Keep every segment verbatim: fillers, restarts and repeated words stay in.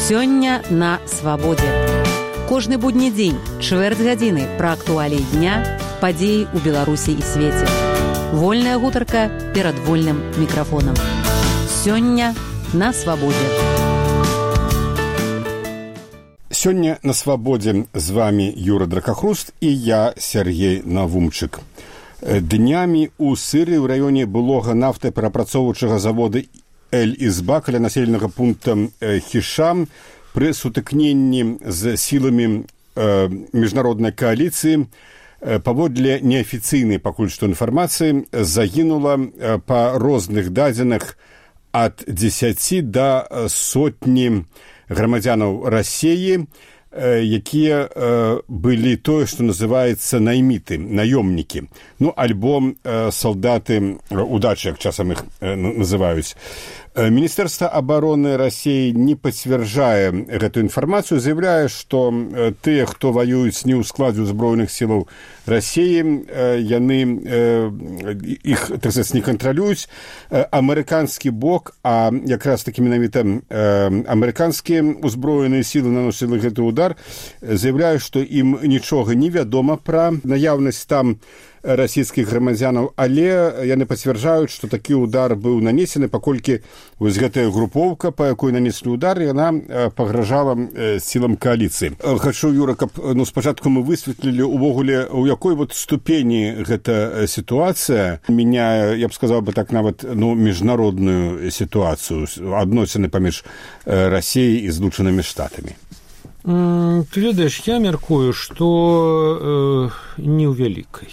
Сёння на свабодзе. Кожны будні дзень, чвэрць гадзіны пра актуаліі дня, падзеі ў Беларусі і свеце. Вольная гутарка перад вольным мікрафонам. Сёння на свабодзе. Сёння на свабодзе з вами Юра Дракахруст і я, Сергей Навумчык. Днямі ў Сыры ў раёне былога нафтаперапрацоўваючага завода Эль-Ізба каля населенага пункта Хішам пры сутыкненні з сіламі э, міжнароднай кааліцыі э, паводле неафіцыйнай пакуль што інфармацыі загінула э, па розных дадзеных ад дзесяці да сотні грамадзянаў Расіі, э, якія э, былі тое, што называецца найміты, наёмнікі, ну, альбо э, салдаты удачы, як часам іх э, называюць. Міністэрства абароны Расіі не пацвярджае гэтую інфармацыю, заявляе, што тыя, хто ваююць не ў складзе ўзброеных сілаў Расіі, яны іх, так сказаць, не кантралююць. Амерыканскі бок, а якраз такі менавіта амерыканскія ўзброеныя сілы наносілі гэты удар, заявляе, што ім нічога не вядома пра наяўнасць там расійскіх грамадзянаў, але яны пацвярджаюць, што такі ўдар быў нанесены, паколькі вось гэтая групоўка, па якой нанеслі ўдар, яна пагражала сілам кааліцыі. Хачу, Юра, каб ну, спачатку мы высветлілі увогуле, у якой вот ступені гэта сітуацыя мяняе, я б сказаў бы так, нават ну, міжнародную сітуацыю, адносіны паміж Расіяй і Злучанымі Штатамі. Ты ведаеш, я мяркую, што э, не ў вялікай.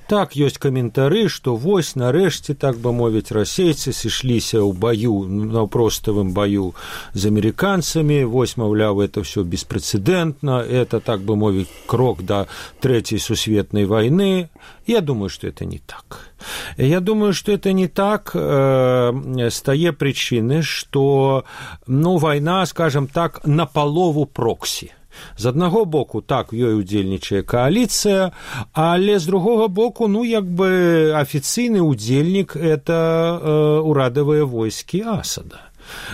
Так, ёсць каментары, што вось нарэшце, так бы мовіць, расейцы сышліся ў баю, на проставым баю з амерыканцамі, вось, маўляў, это все беспрэцэдэнтна, это, так бы мовіць, крок да трэцяй сусветнай вайны. Я думаю, што это не так. Я думаю, што это не так э, з тае прычыны, што, ну, вайна, скажам так, напалову проксі. З аднаго боку, так, ёй удзельнічае кааліцыя, але з другога боку, ну, як бы афіцыйны удзельнік – это э, урадавыя войскі Асада.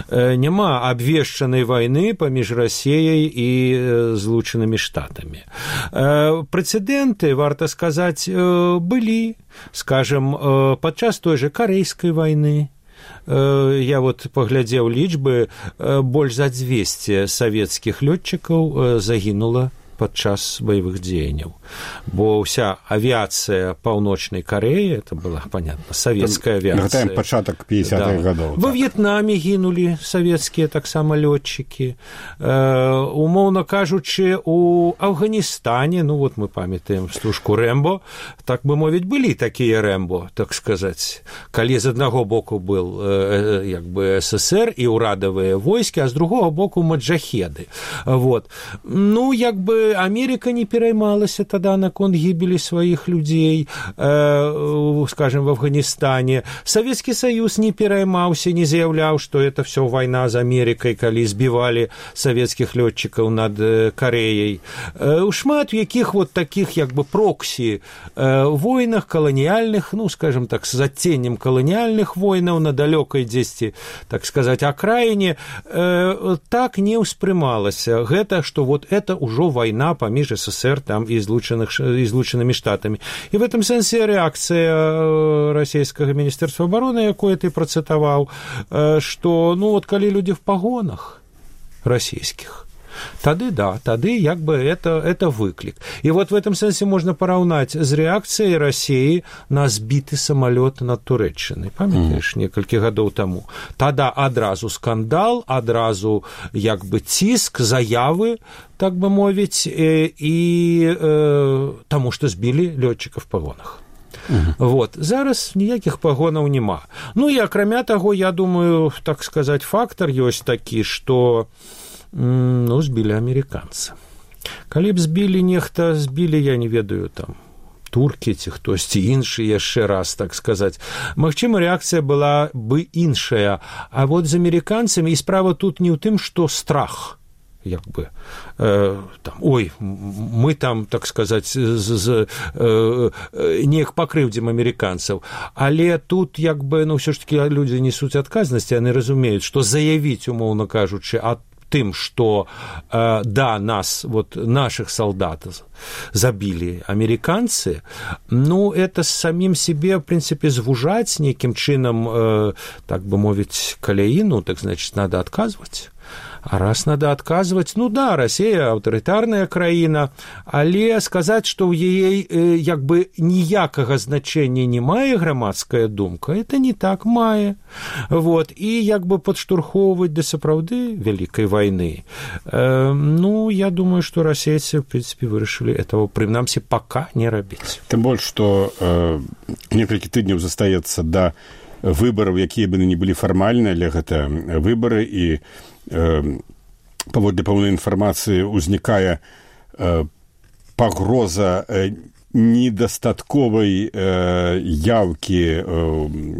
Э, няма абвешчанай вайны паміж Расіяй і э, Злучанымі Штатамі. Э, прэцэдэнты, варта сказаць, э, былі, скажам, э, падчас той жа карэйскай вайны. Я вот паглядзеў лічбы, больш за дзвесце савецкіх лётчыкаў загінула падчас баявых дзеянняў. Бо ўся авіацыя Паўночнай Карэі, это была, понятно, савецкая авіацыя. Нагадаем, пачатак пятидесятых да. гадоў. Во так. В'етнаме гінулі савецкія таксама лётчыкі. Э, умоўна кажучы, у Афганістане, ну вот мы памятаем стужку Рэмбо, так бы мовіць, былі такія Рэмбо, так сказаць. Калі з аднаго боку был э, як бы СССР і ўрадавыя войскі, а з другого боку маджахеды. Вот. Ну, як бы Америка не пераймалася тогда наконт гибели своих людей, э, скажем, в Афганистане. Советский Союз не пераймаўся, не заявлял, что это все война с Америкой, калі збивали советских летчиков над э, Кореей. Э, шмат яких вот таких, як бы, прокси э, войнах колониальных, ну, скажем так, с адценнем колониальных войнаў на далекой дзесьці, так сказать, окраине, э, так не ўспрымалася. Гэта, что вот это уже война паміж СССР там і Злучанымі Штатамі. І в этом сэнсе рэакцыя расійскага міністэрства абароны, якое ты працытаваў, што, ну, вот калі людзі в пагонах расійскіх, тады да, тады як бы это, это выклік. І вот в этом сэнсе можна параўнаць з рэакцыяй Расіі на збіты самалёт над Турэччынай. Памятаеш, mm. некалькі гадоў таму. Тада адразу скандал, адразу як бы ціск, заявы, так бы мовіць, і э, таму, што збілі лётчыка в пагонах. Uh-huh. Вот. Зараз ніякіх пагонаў няма. Ну і акрамя таго, я думаю, так сказаць, фактар ёсць такі, што ну, збілі амерыканца. Калі б збілі нехта, збілі, я не ведаю, там, туркі ці хтосьці іншы, яшчэ раз, так сказаць. Магчыма, рэакцыя была бы іншая. А вот з амерыканцамі, і справа тут не ў тым, што страх, як бы, э, там, ой, мы там, так сказаць, з, з, э, неяк пакрыўдзім амерыканцаў. Але тут, як бы, ну, ўсё ж таки людзі несуць адказнасць, яны разумеюць, што заявіць, умоўна кажучы, ад тым, што э, да, нас, вот, наших солдат забілі амерыканцы, ну, это самім себе, в принципе, звужаць нейкім чынам, э, так бы мовіць, каляіну, так, значит, надо адказваць. А раз надо отказывать, ну да, Россия аўтарытарная краіна, але сказаць, што ў яе э, як бы ніякага значэння не мае грамадская думка, это не так мае. Вот. І як бы падштурхоўваць да сапраўды вялікай вайны. Э, ну, я думаю, што расейцы, в принципе, вырашылі этого, прынамсі, пока не рабіць. Тым больш, што э, некалькі тыдняў застаецца да выбараў, якія бы не былі фармальныя, але гэта выбары, і паводле пэўнай інфармацыі ўзнікае пагроза недастатковай яўкі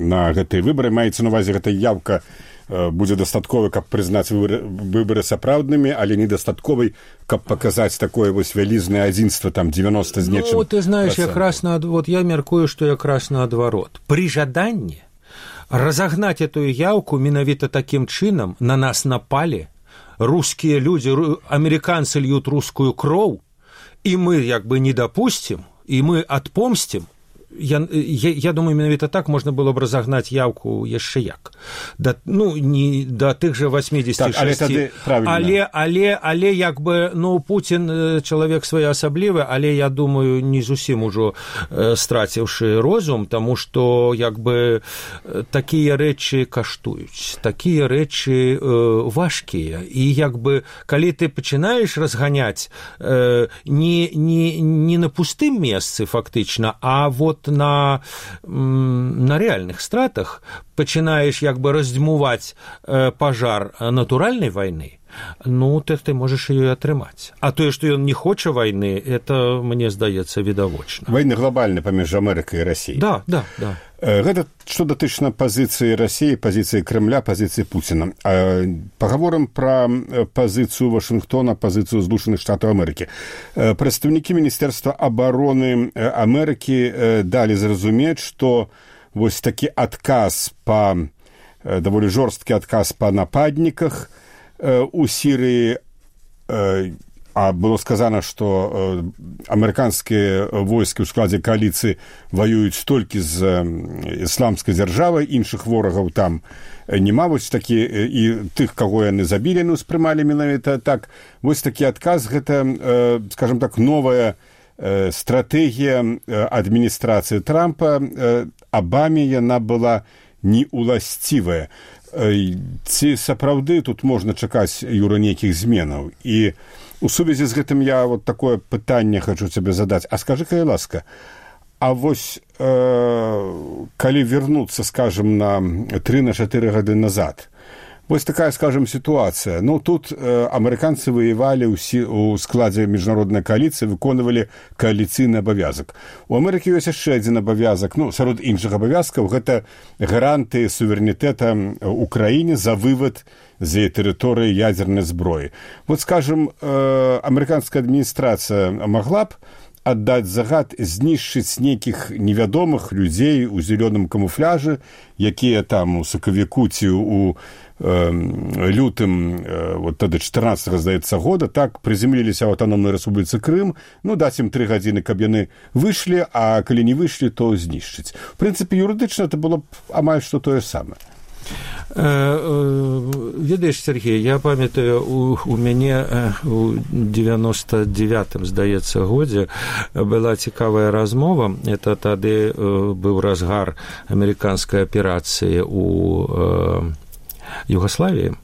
на гэтыя выбары. Маецца на увазе, гэта яўка будзе дастатковай, каб прызнаць выбары сапраўднымі, але недастатковай, каб паказаць такое вось вялізнае адзінства, там девяносто з нечым. Ну, ты знаешь, якраз на, вот я мяркую, што якраз наадварот. Пры жаданні разогнать эту явку менавіта таким чынам, на нас напали, русские люди, американцы льют русскую кровь, и мы як бы не допустим, и мы отпомстим. Я, я, я думаю, менавіта так можна было б разогнать явку яшчэ як. Да, ну, не да тых же восьмидесяти шести. Так, але, але, але, але як бы, ну, Путин чалавек своеасаблівы, але, я думаю, не зусім ужо э, страціўшы розум, таму што, як бы, такія рэчы каштуюць, такія рэчы э, важкія. І, як бы, калі ты пачынаеш разганяць э, не, не, не на пустым месцы, фактычна, а вот на, на реальных стратах пачинаешь як бы раздзьмуваць э, пажар натуральнай вайны, ну, так ты можаш ее атрымаць. А тое, што ён не хоча вайны, это, мне здаецца, відавочна. Вайны глобальны паміж Амерыкай і Расіяй. Да, да, да. Гэта што датычна пазіцыі Расіі, пазіцыі Крэмля, пазіцыі Пуціна. Пагаворым пра пазіцыю Вашынгтона, пазіцыю Злучаных Штатаў Амерыкі. Прадстаўнікі Міністэрства абароны Амерыкі далі зразумець, што вось такі адказ па, даволі жорсткі адказ па нападніках у Сірыі, а было сказано, што амерыканскія войскі ў складзе кааліцыі ваююць толькі з ісламскай дзяржавай, іншых ворагаў там няма, вось такі, і тых, каго яны забілі, ну, спрымалі менавіта так. Вось такі адказ, гэта, скажем так, новая стратэгія адміністрацыі Трампа. Абаме яна была неуласцівая. Ці сапраўды тут можна чакаць, Юра, нейкіх зменаў? І у сувязі з гэтым я вот такое пытанне хочу цябе задаць. А скажы, калі ласка, а вось э, калі вернуцца, скажем, на три-чатыры гады назад, вось такая, скажем, ситуация. Ну, тут э, амерыканцы воевали у складзе міжнароднай коалиции, выконывали коалицыйны абавязак. У Амерыкі ёсць яшчэ адзін абавязак, ну, сярод іншых абавязкаў, гэта гаранты суверэнітэта Украіне за вывод з яе тэрыторыі ядзернай зброі. Вот, скажем, э, амерыканская адміністрацыя могла б аддаць загад знішчыць нейкіх невядомых людзей у зялёным камуфляжы, якія там у сакавіку ці у э, лютым э, вот тады чатырнаццатага, здаецца, года так прызямліліся ў аўтаномнай рэспубліцы Крым, ну, даць ім тры гадзіны, каб яны выйшлі, а калі не выйшлі, то знішчыць. В прынцыпе, юрыдычна это было б амаль што тое самае. Ведаеш, Сергей, я памятаю, у, у мяне у девяносто девятым, здаецца, годзе была цікавая размова. Это тады быў разгар амерыканскай аперацыі у э, Югославіі.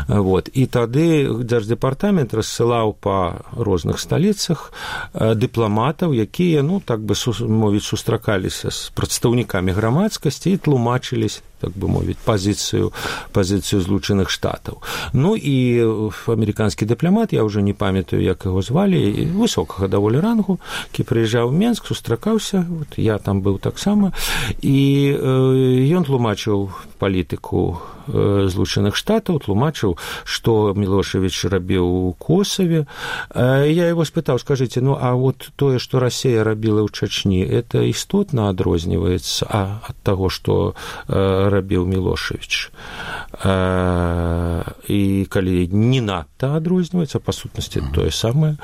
Вот. І тады Дзярждэпартамент рассылаў па розных сталіцах дыпламатаў, якія, ну, так бы мовіць, сустракаліся з прадстаўнікамі грамадскасці і тлумачыліся, так бы мовіць, пазіцыю, пазіцыю Злучаных Штатаў. Ну і амерыканскі дыпламат, я ўжо не памятаю, як яго звалі, высокага даволі рангу, які прыязджаў у Менск, сустракаўся, вот, я там быў таксама, і э, ён тлумачыў палітыку Злучаных Штатаў, тлумачыў, што Мілошевіч рабіў у Косаве. Я яго спытаў, скажыце, ну, а вот тое, што Расія рабіла ў Чачні, это істотна адрозніваецца ад таго, што рабіў Мілошевіч. І калі не надта адрозніваецца, па сутнасці тое самае,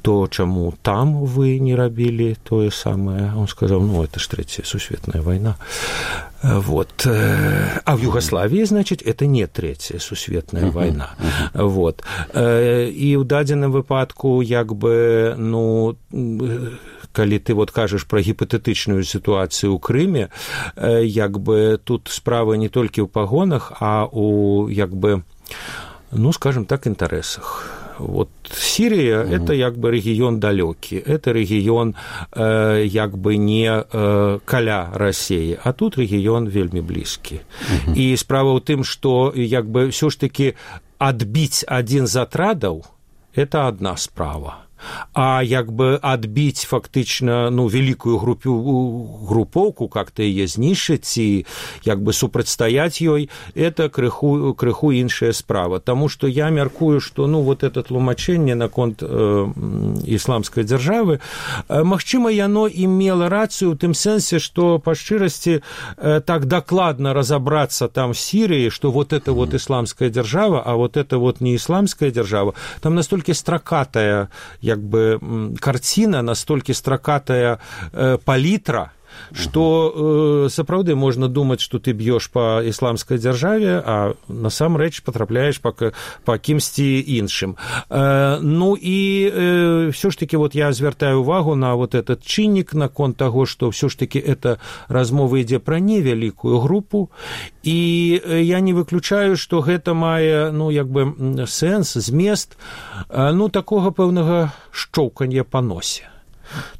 то чаму там вы не рабілі тое самае? Он сказаў, ну, это ж Третья сусветная война. Вот. А в Югославии, значит, это не Третья сусветная война. Вот. І ў дадзеным выпадку, як бы, ну, калі ты вот кажаш пра гіпатэтычную сітуацыю ў Крыме, як бы тут справа не толькі ў пагонах, а у, як бы, ну, скажем так, інтарэсах. Вот Сирия mm-hmm. – это як бы регион далёкі, это регион э, як бы не э, каля России, а тут регион вельмі блізкі. Mm-hmm. І справа ў тым, што як бы ўсё ж таки адбіць адзін з атрадаў – это адна справа. А як бы адбіць фактычна, ну, великую группу, группоўку, как-то яе знішчыць і як бы супрацьстаяць ёй, это крыху, крыху іншая справа. Таму што я мяркую, што, ну, вот это тлумачэнне наконт э, ісламскай дзяржавы, э, магчыма, яно имела рацыю ў тым сэнсе, што па шчырасці э, так дакладна разабрацца там в Сирии, што вот это вот ісламская дзяржава, а вот это вот не ісламская дзяржава, там настолькі стракатая як бы картина, настолько строкатая э, палітра, што э, сапраўды можна думаць, што ты б'ёш па ісламскай дзяржаве, а насамрэч патрапляеш па, па кімсьці іншым. Э, ну і э, ўсё ж таки вот я звяртаю увагу на вот этот чыннік наконт таго, што ўсё ж таки это размова ідзе пра невялікую групу, і я не выключаю, што гэта мае, ну, як бы сэнс, змест, э, ну, такога пэўнага шчоўкання па носе.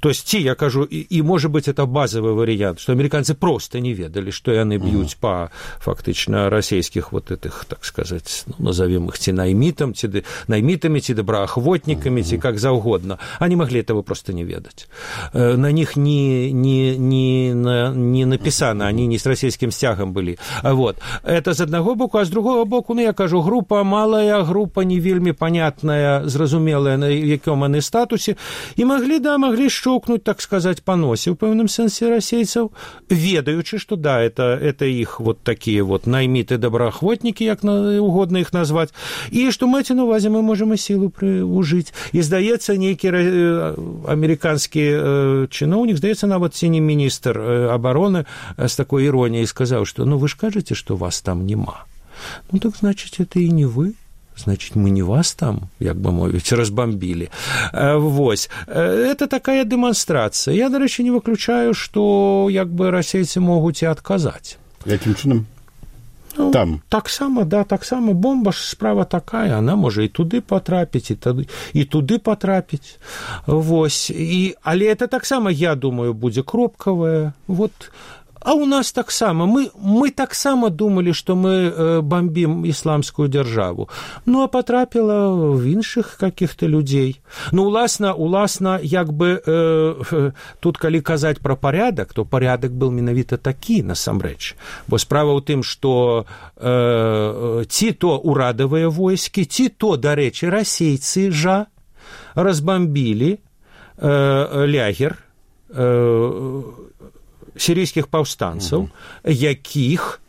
То есть, ці, я кажу, і, і, может быть, это базовый вариант, что американцы просто не ведали, что яны бьют по, фактично, российских вот этих, так сказать, ну, назовем их ці наймитам, ці наймитами, ці доброохотниками, ці как завгодно. Они могли этого просто не ведать. На них не, не, не, не написано, они не с российским стягом были. Вот. Это з одного боку, а з другого боку, ну, я кажу, група малая, група не вельмі понятная, зразумелая, на якому они статусе, и могли, да, могли шчоўкнуць, так сказать, по носе в пэўным сэнсе расейцаў, ведаючы, что да, это, это их вот такие вот наймиты доброохотники, як угодно их назвать, и что маці на увазе мы можем и силу ужить. И здаецца, нейкі американскі чыноўнік, здаецца, нават ці не міністр обороны с такой иронией сказал, что ну вы ж кажете, что вас там нема. Ну так значит, это и не вы. Значит, мы не вас там, як бы мовіць, разбомбили. Вось. Это такая демонстрация. Я, до речі, не выключаю, что як бы расейцы могуць і адказаць. Яким чынам? Ну, там. Так само, да, так само. Бомба ж справа такая, она може і туди потрапіць, і туди, і туди потрапіць. Вось. І, але это так само, я думаю, будзе кропкавая. Вот. А у нас так само. Мы, мы так само думали, что мы э, бомбим исламскую державу. Ну, а потрапило в іншых каких-то людей. Ну, уласна, уласна, як бы, э, тут, калі казаць про порядок, то порядок был менавіта такі, насамрэч. Бо справа ў тым, что э, ці то урадавыя войскі, ці то, дарэчы, расейцы жа разбомбили э, лягер, э, сирийских паўстанцаў, якіх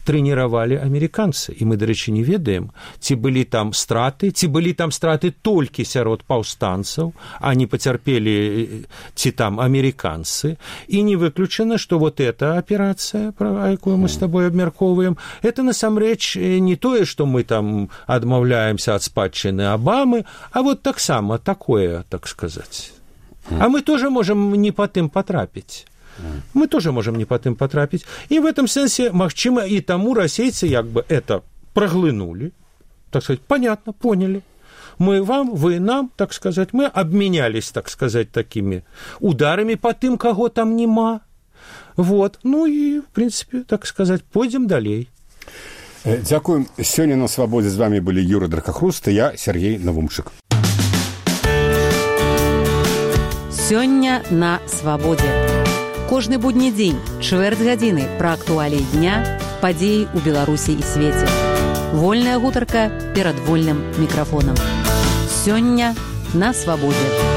трэніравалі амерыканцы. І мы, дарэчы, не ведаем, ці былі там страты, ці былі там страты толькі сярод паўстанцаў, а не пацярпелі ці там амерыканцы. І не выключана, што вот эта аперацыя, пра якую мы с тобой абмяркоўваем, это насамрэч не тое, што мы там адмаўляемся ад спадчыны Абамы, а вот таксама такое, так сказаць. А мы тоже можем не по тым потрапіць. Мы тоже можем не по тым потрапить. И в этом сенсе, магчыма, и тому расейцы як бы это проглынули, так сказать, понятно, поняли. Мы вам, вы нам, так сказать, мы обменялись, так сказать, такими ударами по тым, кого там нема. Вот. Ну и, в принципе, так сказать, пойдем далей. Дзякуем. Сёння на свабодзе з вами былі Юра Дракахруст і я, Сергей Навумчык. Сёння на свабодзе. Кожны будні дзень, чвэрць гадзіны пра актуаліі дня, падзеі ў Беларусі і свеце. Вольная гутарка перад вольным мікрафонам. Сёння на свабодзе.